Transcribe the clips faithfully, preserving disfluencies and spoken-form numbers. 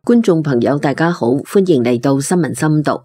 觀眾朋友大家好，歡迎嚟到新聞深讀。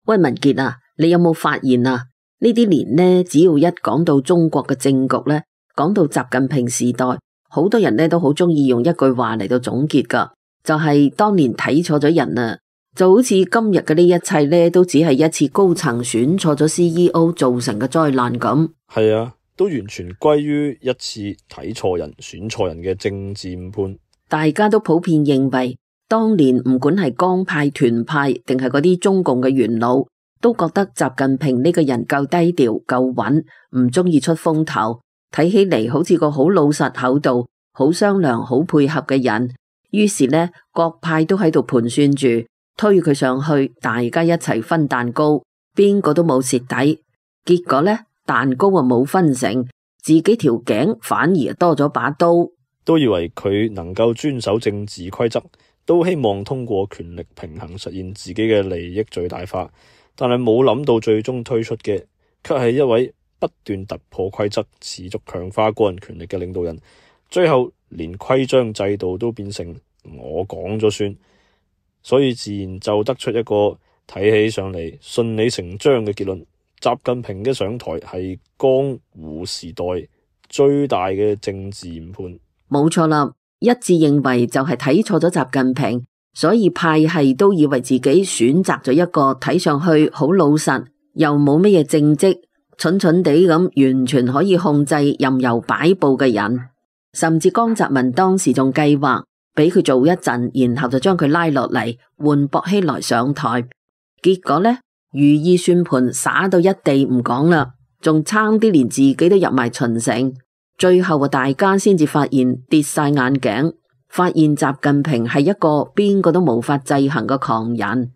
喂，文傑啊，你有冇發現啊？呢啲年呢，只要一講到中國嘅政局呢，講到習近平時代，好多人呢都好中意用一句話嚟到總結噶，就係當年睇錯咗人啊，就好似今日嘅呢一切呢，都只係一次高層選錯咗 C E O 造成嘅災難咁。係啊，都完全歸於一次睇錯人、選錯人嘅政治誤判。大家都普遍認為，當年唔管係江派、團派，定係嗰啲中共嘅元老，都覺得習近平呢個人夠低調、夠穩，唔中意出風頭，睇起嚟好似個好老實厚道、好商量、好配合嘅人。於是呢，各派都喺度盤算住推佢上去，大家一齊分蛋糕，邊個都冇蝕底。結果呢，蛋糕啊冇分成，自己條頸反而多咗把刀。都以為佢能夠遵守政治規則，都希望通過權力平衡實現自己嘅利益最大化，但係冇諗到最終推出嘅，卻係一位不斷突破規則、持續強化個人權力嘅領導人。最後連規章制度都變成我講咗算，所以自然就得出一個睇起上嚟順理成章嘅結論：習近平嘅上台係江湖時代最大嘅政治誤判。冇錯啦，一致認為就係睇錯咗習近平，所以派系都以為自己選擇咗一個睇上去好老實，又冇乜嘢政績，蠢蠢地咁完全可以控制任由擺佈嘅人。甚至江澤民當時仲計劃俾佢做一陣，然後就將佢拉落嚟換薄熙來上台。結果呢，如意算盤灑到一地唔講啦，仲差啲連自己都入埋秦城。最後啊，大家先至發現跌晒眼鏡，發現習近平係一個邊個都無法制衡嘅狂人。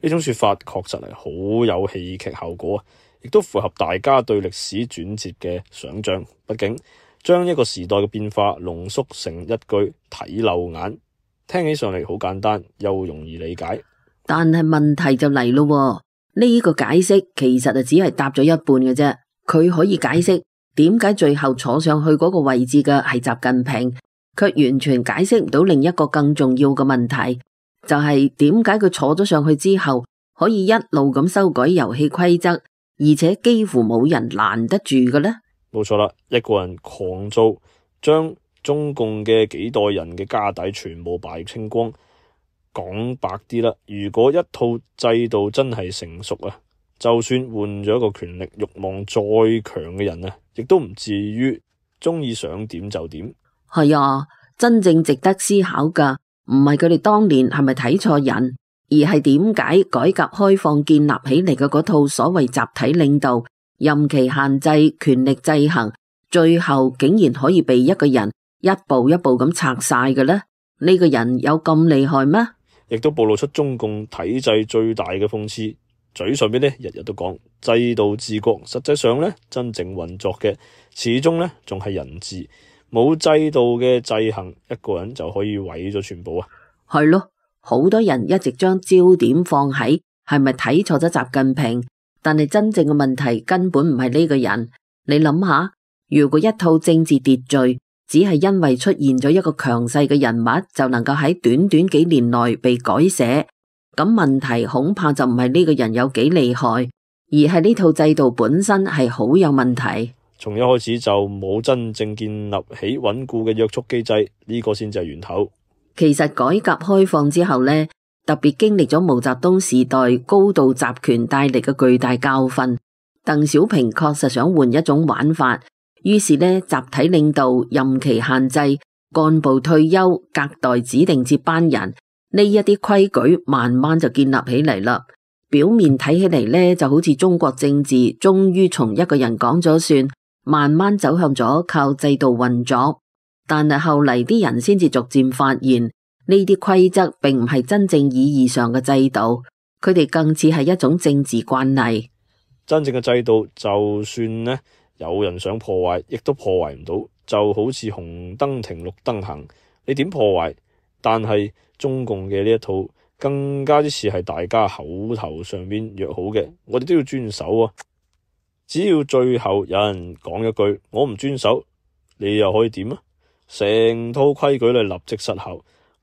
呢種說法確實係好有戲劇效果啊，亦都符合大家對歷史轉折嘅想象。畢竟將一個時代嘅變化濃縮成一句睇漏眼，聽起上嚟好簡單又容易理解。但係問題就嚟咯，呢個解釋其實就只係答咗一半嘅啫。佢可以解釋點解最後坐上去嗰個位置嘅係習近平，卻完全解釋唔到另一個更重要嘅問題，就係點解佢坐咗上去之後可以一路咁修改遊戲規則，而且幾乎冇人攔得住嘅呢？冇錯啦，一個人狂做，將中共嘅幾代人嘅家底全部敗清光。講白啲啦，如果一套制度真係成熟啊，就算換咗一個權力慾望再強嘅人啊，亦都唔至於中意想點就點。係啊，真正值得思考噶，唔係佢哋當年係咪睇錯人，而係點解改革開放建立起嚟嘅嗰套所謂集體領導、任期限制、權力制衡，最後竟然可以被一個人一步一步咁拆晒嘅呢？呢個人有咁厲害咩？亦都暴露出中共體制最大嘅諷刺。嘴上邊呢日日都講制度治國，實際上呢真正運作嘅始終呢仲係人治。冇制度嘅制衡，一個人就可以毀咗全部啊！係咯，好多人一直將焦點放喺係咪睇錯咗習近平，但係真正嘅問題根本唔係呢個人。你諗下，如果一套政治秩序只係因為出現咗一個強勢嘅人物，就能夠喺短短幾年內被改寫，咁問題恐怕就唔係呢個人有幾厲害，而係呢套制度本身係好有問題。從一開始就冇真正建立起穩固嘅約束機制，呢個先至係源頭。其實改革開放之後呢，特別經歷咗毛澤東時代高度集權帶嚟嘅巨大教訓，鄧小平確實想換一種玩法，於是呢，集體領導、任期限制、幹部退休、隔代指定接班人呢一啲規矩，慢慢就建立起嚟啦。表面睇起嚟呢，就好似中國政治終於從一個人講咗算，慢慢走向咗靠制度運作。但係後嚟啲人先至逐漸發現，呢啲規則並唔係真正意義上嘅制度，佢哋更似係一種政治慣例。真正嘅制度，就算呢有人想破壞，亦都破壞唔到。就好似紅燈停綠燈行，你點破壞？但係中共嘅呢一套更加之似係大家口頭上邊約好嘅，我哋都要遵守啊！只要最後有人講一句我唔遵守，你又可以點啊？成套規矩咧立即失效，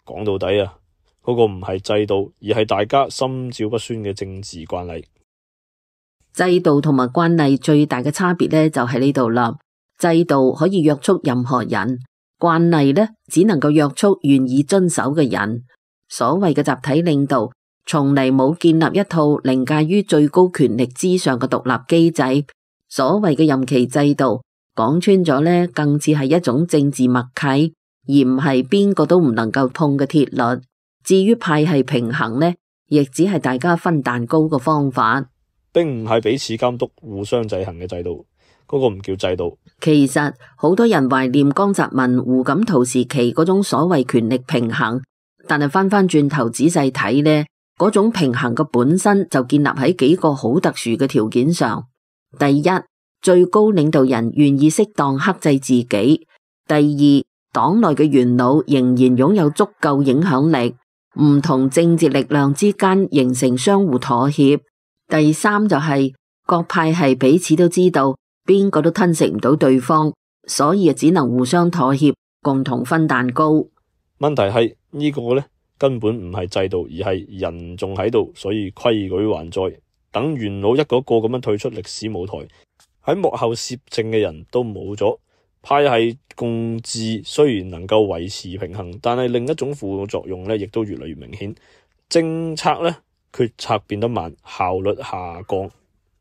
講到底啊，嗰個唔係制度，而係大家心照不宣嘅政治慣例。制度同埋慣例最大嘅差別呢，就喺呢度啦。制度可以約束任何人，慣例呢，只能夠約束願意遵守嘅人。所謂嘅集體領導，從嚟冇建立一套凌駕於最高權力之上嘅獨立機制。所謂嘅任期制度，講穿咗呢，更似係一種政治默契，而唔係邊個都唔能夠碰嘅鐵律。至於派系平衡呢，亦只係大家分蛋糕嘅方法，並唔係彼此監督、互相制衡嘅制度。嗰個唔叫制度。其實好多人懷念江澤民、胡錦濤時期嗰種所謂權力平衡，但係翻翻轉頭仔細睇呢，嗰種平衡嘅本身就建立喺幾個好特殊嘅條件上。第一，最高領導人願意適當克制自己；第二，黨內嘅元老仍然擁有足夠影響力，唔同政治力量之間形成相互妥協；第三就係、是、各派系彼此都知道邊個都吞食唔到對方，所以只能互相妥協，共同分蛋糕。問題係呢個呢，根本唔係制度，而係人仲喺度，所以規矩還在。等元老一個個咁樣退出歷史舞台，喺幕後攝政嘅人都冇咗，派系共治雖然能夠維持平衡，但係另一種副作用呢，亦都越嚟越明顯。政策呢，決策變得慢，效率下降。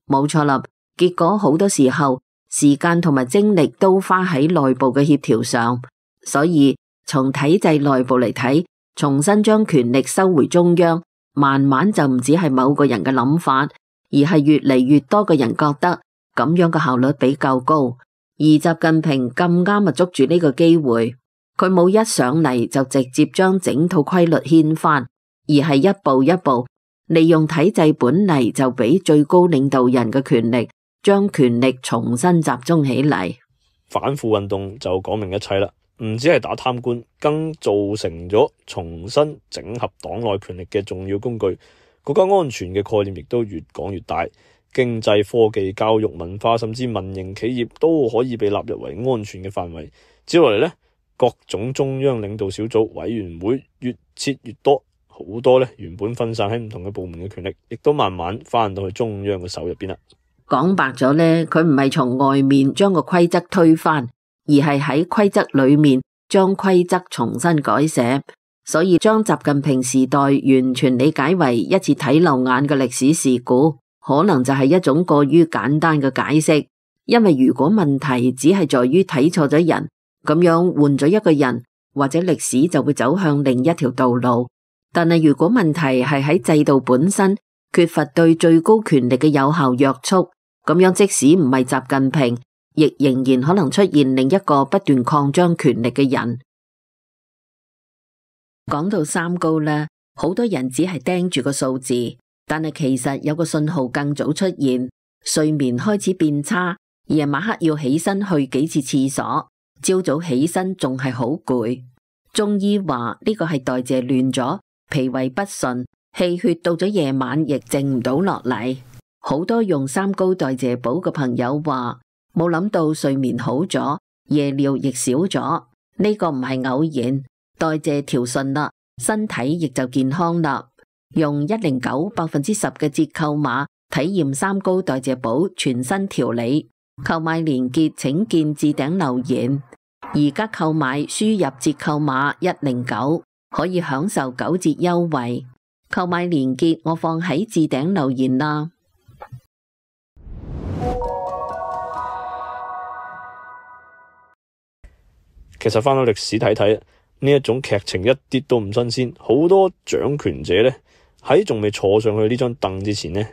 冇錯啦。結果好多時候時間同埋精力都花喺內部嘅協調上，所以從體制內部嚟睇，重新將權力收回中央，慢慢就唔止係某個人嘅諗法，而係越嚟越多嘅人覺得咁樣嘅效率比較高。而習近平咁啱啊捉住呢個機會，佢冇一上嚟就直接將整套規律掀翻，而係一步一步利用體制本嚟就俾最高領導人嘅權力，將權力重新集中起嚟。反腐運動就講明一切啦，唔止係打貪官，更造成咗重新整合黨內權力嘅重要工具。國家安全嘅概念亦都越講越大，經濟、科技、教育、文化，甚至民營企業都可以被納入為安全嘅範圍。接落嚟呢，各種中央領導小組委員會越設越多，好多呢原本分散喺唔同嘅部門嘅權力，亦都慢慢翻到去中央嘅手入邊啦。講白咗呢，佢唔係從外面將個規則推翻，而係喺規則裏面將規則重新改寫。所以將習近平時代完全理解為一次睇漏眼嘅歷史事故，可能就係一種過於簡單嘅解釋。因為如果問題只係在於睇錯咗人，咁樣換咗一個人，或者歷史就會走向另一條道路。但係如果問題係喺制度本身缺乏對最高權力嘅有效約束，咁樣即使唔係習近平，亦仍然可能出現另一個不斷擴張權力嘅人。講到三高呢，好多人只係盯住個數字，但係其實有個信號更早出現，睡眠開始變差，夜晚黑要起身去幾次廁所，朝早起身仲係好攰。中醫話呢個係代謝亂咗，脾胃不順，氣血到咗夜晚亦靜唔到落嚟。好多用三高代謝補嘅朋友話，冇諗到睡眠好咗，夜尿亦少咗。呢個唔係偶然，代謝調順啦，身體亦就健康啦。用一零九百分之十嘅折扣碼體驗三高代謝補全新調理，購買連結請見置頂留言。而家購買輸入折扣碼一零九可以享受九折優惠，購買連結我放喺置頂留言啦。其實翻到歷史睇睇，呢一種劇情一啲都唔新鮮。好多掌權者呢，喺仲未坐上去呢張凳之前呢，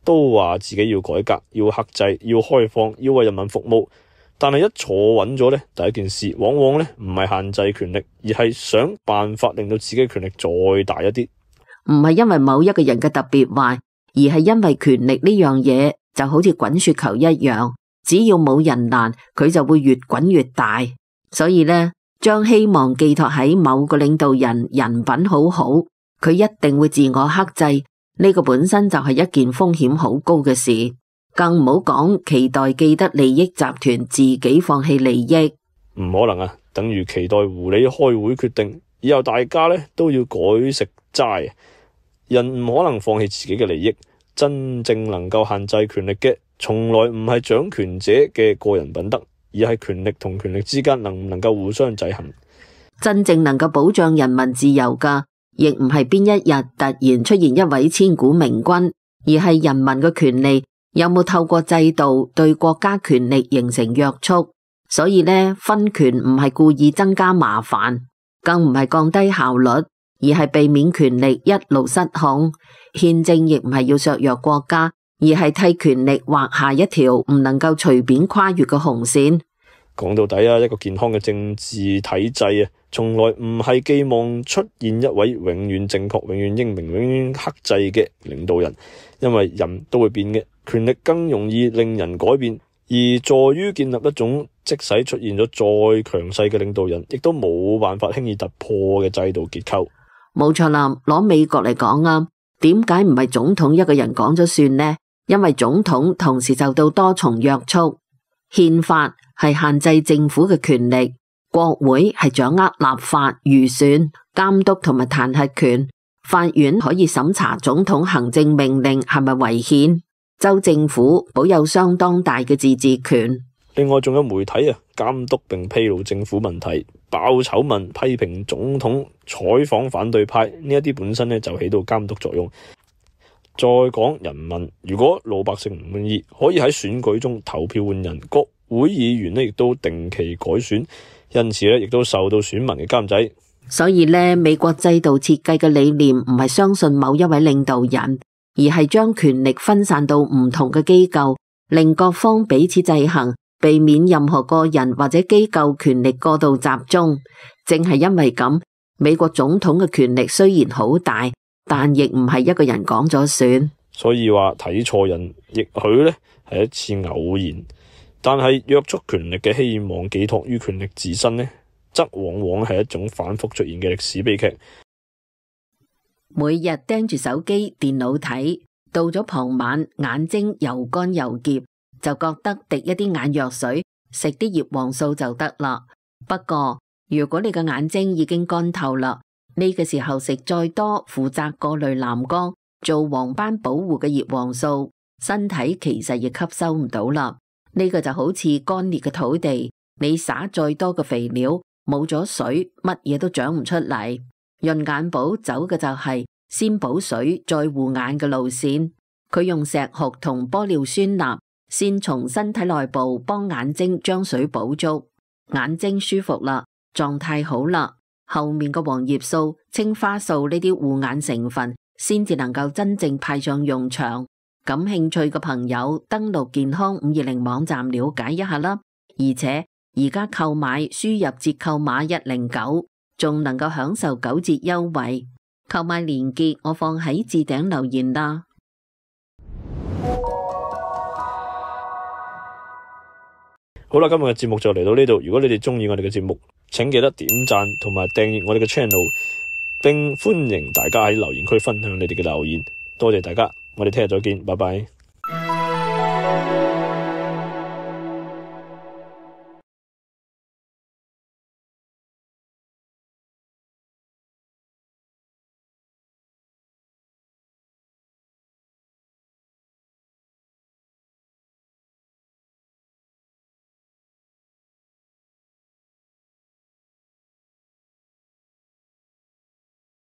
都話自己要改革、要克制、要開放、要為人民服務。但係一坐穩咗呢，第一件事往往呢唔係限制權力，而係想辦法令到自己權力再大一啲。唔係因為某一個人嘅特別壞，而係因為權力呢樣嘢就好似滾雪球一樣，只要冇人攔，佢就會越滾越大。所以呢，將希望寄託喺某個領導人人品好好，佢一定會自我克制，呢個本身就係一件風險好高嘅事。更唔好講期待既得利益集團自己放棄利益，唔可能啊！等於期待狐狸開會決定以後大家咧都要改食齋。人唔可能放棄自己嘅利益，真正能夠限制權力嘅，從來唔係掌權者嘅個人品德，而係權力同權力之間能唔能夠互相制衡。真正能夠保障人民自由㗎，亦唔係邊一日突然出現一位千古明君，而係人民嘅權利有冇透過制度對國家權力形成約束。所以呢，分權唔係故意增加麻煩，更唔係降低效率，而係避免權力一路失控。憲政亦唔係要削弱國家，而係替權力劃下一條唔能夠隨便跨越嘅紅線。講到底啊，一個健康嘅政治體制啊，從來唔係寄望出現一位永遠正確、永遠英明、永遠克制嘅領導人，因為人都會變嘅，權力更容易令人改變，而在於建立一種即使出現咗再強勢嘅領導人，亦都冇辦法輕易突破嘅制度結構。冇錯啦，攞美國嚟講啊，點解唔係總統一個人講咗算呢？因為總統同時受到多重約束，憲法係限制政府嘅權力，國會係掌握立法、預算、監督同埋彈劾權，法院可以審查總統行政命令係咪違憲，州政府保有相當大嘅自治權。另外仲有媒體啊，監督並披露政府問題、爆醜聞、批評總統、採訪反對派，呢一啲本身咧就起到監督作用。再講人民，如果老百姓唔滿意，可以喺選舉中投票換人，國會議員咧亦都定期改選，因此咧亦都受到選民嘅監制。所以咧，美國制度設計嘅理念唔係相信某一位領導人，而係將權力分散到唔同嘅機構，令各方彼此制衡，避免任何個人或者機構權力過度集中。正係因為咁，美國總統嘅權力雖然好大，但亦唔係一個人講咗算。所以話睇錯人，亦許呢係一次偶然，但係約束權力嘅希望寄託於權力自身呢，則往往係一種反覆出現嘅歷史悲劇。每日盯住手機、電腦睇，到咗傍晚眼睛又乾又澀，就覺得滴一啲眼藥水，食啲葉黃素就得啦。不過如果你嘅眼睛已經乾透啦，呢個時候食再多負責過濾藍光、做黃斑保護嘅葉黃素，身體其實亦吸收唔到啦。呢個就好似乾裂嘅土地，你撒再多嘅肥料，冇咗水，乜嘢都長唔出嚟。潤眼寶走嘅就係先補水再護眼嘅路線，佢用石斛同玻尿酸鈉先從身體內部幫眼睛將水補足，眼睛舒服啦，狀態好啦，後面嘅黃葉素、青花素呢啲護眼成分先至能夠真正派上用場。感興趣嘅朋友登錄健康五二零網站了解一下啦，而且而家購買輸入折扣碼一零九，仲能夠享受九折優惠。購買鏈接我放喺置頂留言啦。好啦，今日嘅節目就嚟到呢度。如果你哋中意我哋嘅節目，請記得點讚同埋訂閱我哋嘅 channel， 並歡迎大家喺留言區分享你哋嘅留言。多謝大家，我哋聽日再見，拜拜。